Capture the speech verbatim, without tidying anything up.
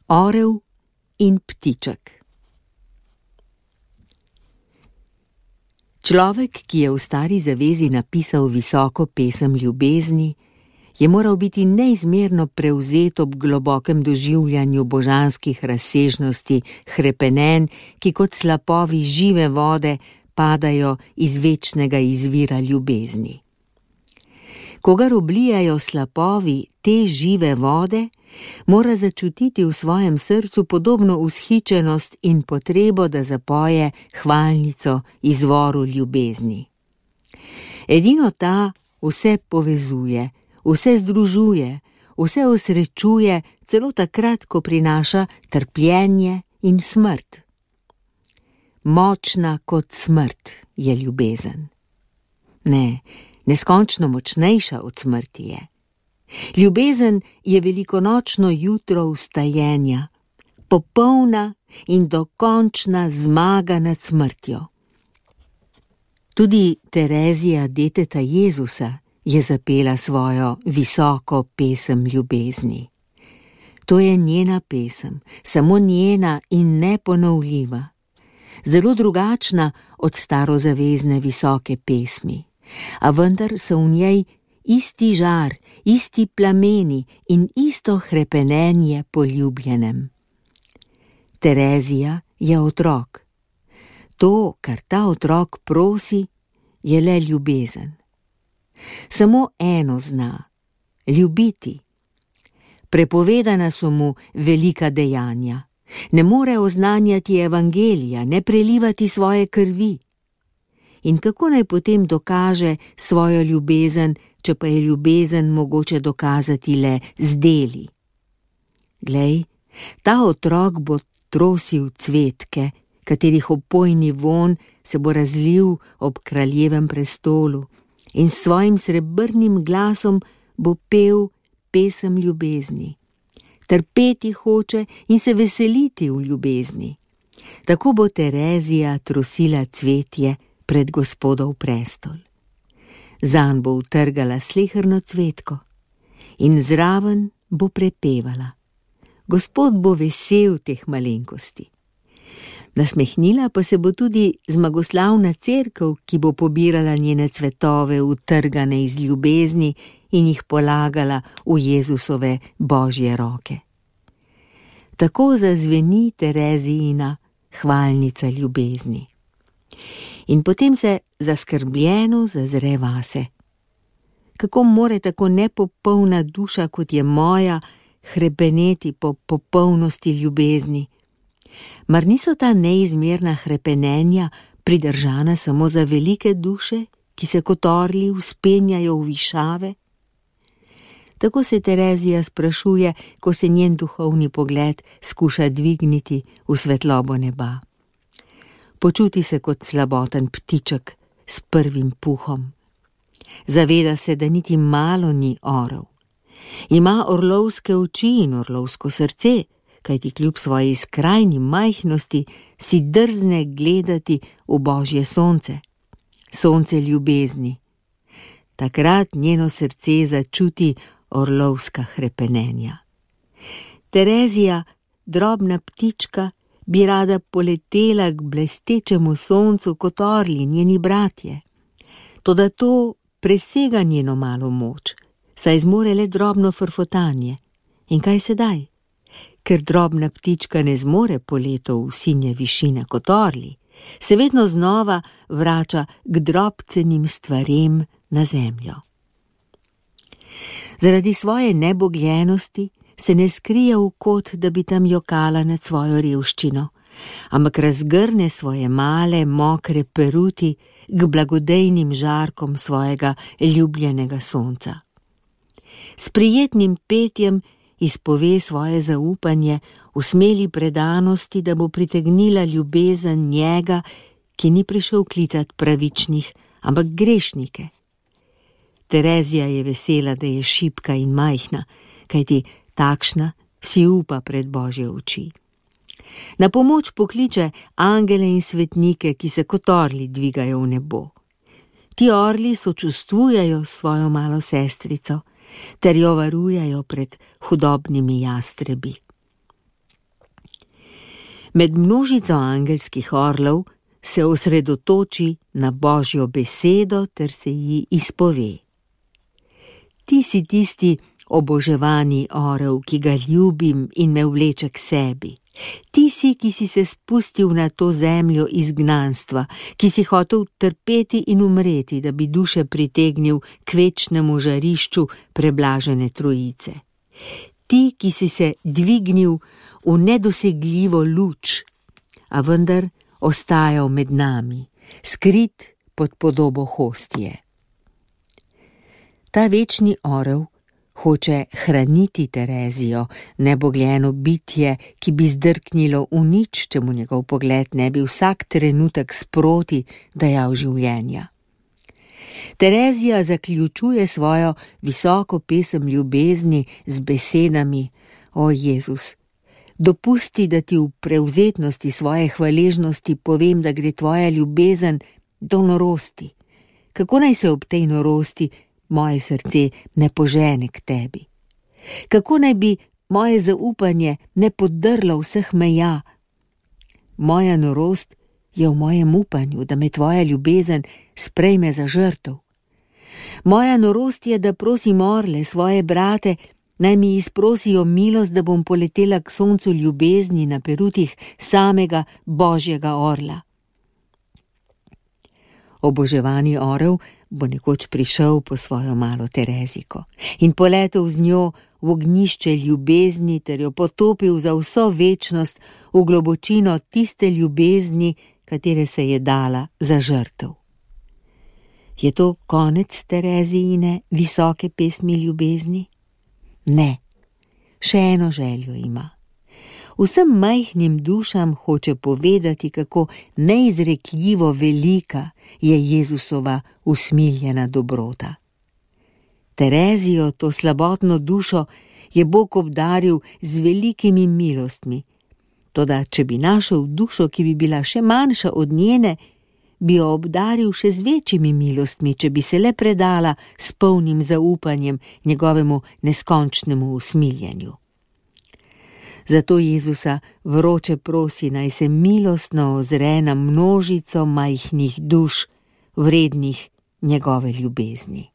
Orel in ptiček. Človek, ki je v Stari zavezi napisal visoko pesem ljubezni, je moral biti neizmerno prevzet ob globokem doživljanju božanskih razsežnosti hrepenenj, ki kot slapovi žive vode padajo iz večnega izvira ljubezni. Kogar oblijajo slapovi te žive vode, mora začutiti v svojem srcu podobno vzhičenost in potrebo, da zapoje hvalnico izvoru ljubezni. Edino ta vse povezuje, vse združuje, vse osrečuje, celo takrat, ko prinaša trpljenje in smrt. Močna kot smrt je ljubezen. Ne, neskončno močnejša od smrti je. Ljubezen je velikonočno jutro vstajenja, popolna in dokončna zmaga nad smrtjo. Tudi Terezija, deteta Jezusa, je zapela svojo visoko pesem ljubezni. To je njena pesem, samo njena in neponovljiva, zelo drugačna od starozavezne visoke pesmi, a vendar so v njej isti žar, isti plameni in isto hrepenenje po ljubljenem. Terezija je otrok. To, kar ta otrok prosi, je le ljubezen. Samo eno zna, ljubiti. Prepovedana so mu velika dejanja. Ne more oznanjati evangelija, ne prelivati svoje krvi. In kako naj potem dokaže svojo ljubezen, če pa je ljubezen mogoče dokazati le z deli? Glej, ta otrok bo trosil cvetke, katerih opojni vonj se bo razlil ob kraljevem prestolu, in s svojim srebrnim glasom bo pel pesem ljubezni. Trpeti hoče in se veseliti v ljubezni. Tako bo Terezija trosila cvetje pred Gospodov prestol. Zanj bo utrgala sleherno cvetko in zraven bo prepevala. Gospod bo vesel teh malenkosti. Nasmehnila pa se bo tudi zmagoslavna cerkev, ki bo pobirala njene cvetove utrgane iz ljubezni in jih polagala v Jezusove božje roke. Tako zazveni Terezijina hvalnica ljubezni. In potem se zaskrbljeno zazre vase. Kako more tako nepopolna duša, kot je moja, hrepeneti po popolnosti ljubezni? Mar niso ta neizmerna hrepenenja pridržana samo za velike duše, ki se kot orli vzpenjajo v višave? Tako se Terezija sprašuje, ko se njen duhovni pogled skuša dvigniti v svetlobo neba. Počuti se kot slaboten ptiček s prvim puhom. Zaveda se, da niti malo ni orel. Ima orlovske oči in orlovsko srce, kajti kljub svoji skrajni majhnosti si drzne gledati v božje sonce, sonce ljubezni. Takrat njeno srce začuti orlovska hrepenenja. Terezija, drobna ptička, bi rada poletela k blestečemu soncu kot orli njeni bratje. Toda to presega njeno malo moč, saj zmore le drobno frfotanje. In kaj sedaj? Ker drobna ptička ne zmore poletov v sinje višine kot orli, se vedno znova vrača k drobcenim stvarem na zemljo. Zaradi svoje nebogljenosti se ne skrije v kot, da bi tam jokala nad svojo revščino, ampak razgrne svoje male, mokre peruti k blagodejnim žarkom svojega ljubljenega sonca. S prijetnim petjem izpove svoje zaupanje v smeli predanosti, da bo pritegnila ljubezen njega, ki ni prišel klicat pravičnih, ampak grešnike. Terezija je vesela, da je šibka in majhna, kajti takšna si upa pred božje oči. Na pomoč pokliče angele in svetnike, ki se kot orli dvigajo v nebo. Ti orli sočustvujejo s svojo malo sestrico ter jo varujejo pred hudobnimi jastrebi. Med množico angelskih orlov se osredotoči na Božjo besedo ter se ji izpove. Ti si tisti oboževani orel, ki ga ljubim in me vleče k sebi. Ti si, ki si se spustil na to zemljo izgnanstva, ki si hotel trpeti in umreti, da bi duše pritegnil k večnemu žarišču preblažene trojice. Ti, ki si se dvignil v nedosegljivo luč, a vendar ostajal med nami, skrit pod podobo hostije. Ta večni orel hoče hraniti Terezijo, nebogljeno bitje, ki bi zdrknilo v nič, če mu njegov pogled ne bi vsak trenutek sproti dajal življenja. Terezija zaključuje svojo visoko pesem ljubezni z besedami: O Jezus, dopusti, da ti v prevzetnosti svoje hvaležnosti povem, da gre tvoja ljubezen do norosti. Kako naj se ob tej norosti moje srce ne požene k tebi? Kako naj bi moje zaupanje ne podrlo vseh meja? Moja norost je v mojem upanju, da me tvoja ljubezen sprejme za žrtev. Moja norost je, da prosim orle, svoje brate, naj mi izprosijo milost, da bom poletela k soncu ljubezni na perutih samega Božjega orla. Oboževani orel bo nekoč prišel po svojo malo Tereziko in poletel z njo v ognjišče ljubezni ter jo potopil za vso večnost v globočino tiste ljubezni, katere se je dala za žrtev. Je to konec Terezijine visoke pesmi ljubezni? Ne, še eno željo ima. Vsem majhnim dušam hoče povedati, kako neizrekljivo velika je Jezusova usmiljena dobrota. Terezijo, to slabotno dušo, je Bog obdaril z velikimi milostmi. Toda, če bi našel dušo, ki bi bila še manjša od njene, bi jo obdaril še z večjimi milostmi, če bi se le predala s polnim zaupanjem njegovemu neskončnemu usmiljenju. Zato Jezusa vroče prosi, naj se milostno ozre na množico majhnih duš, vrednih njegove ljubezni.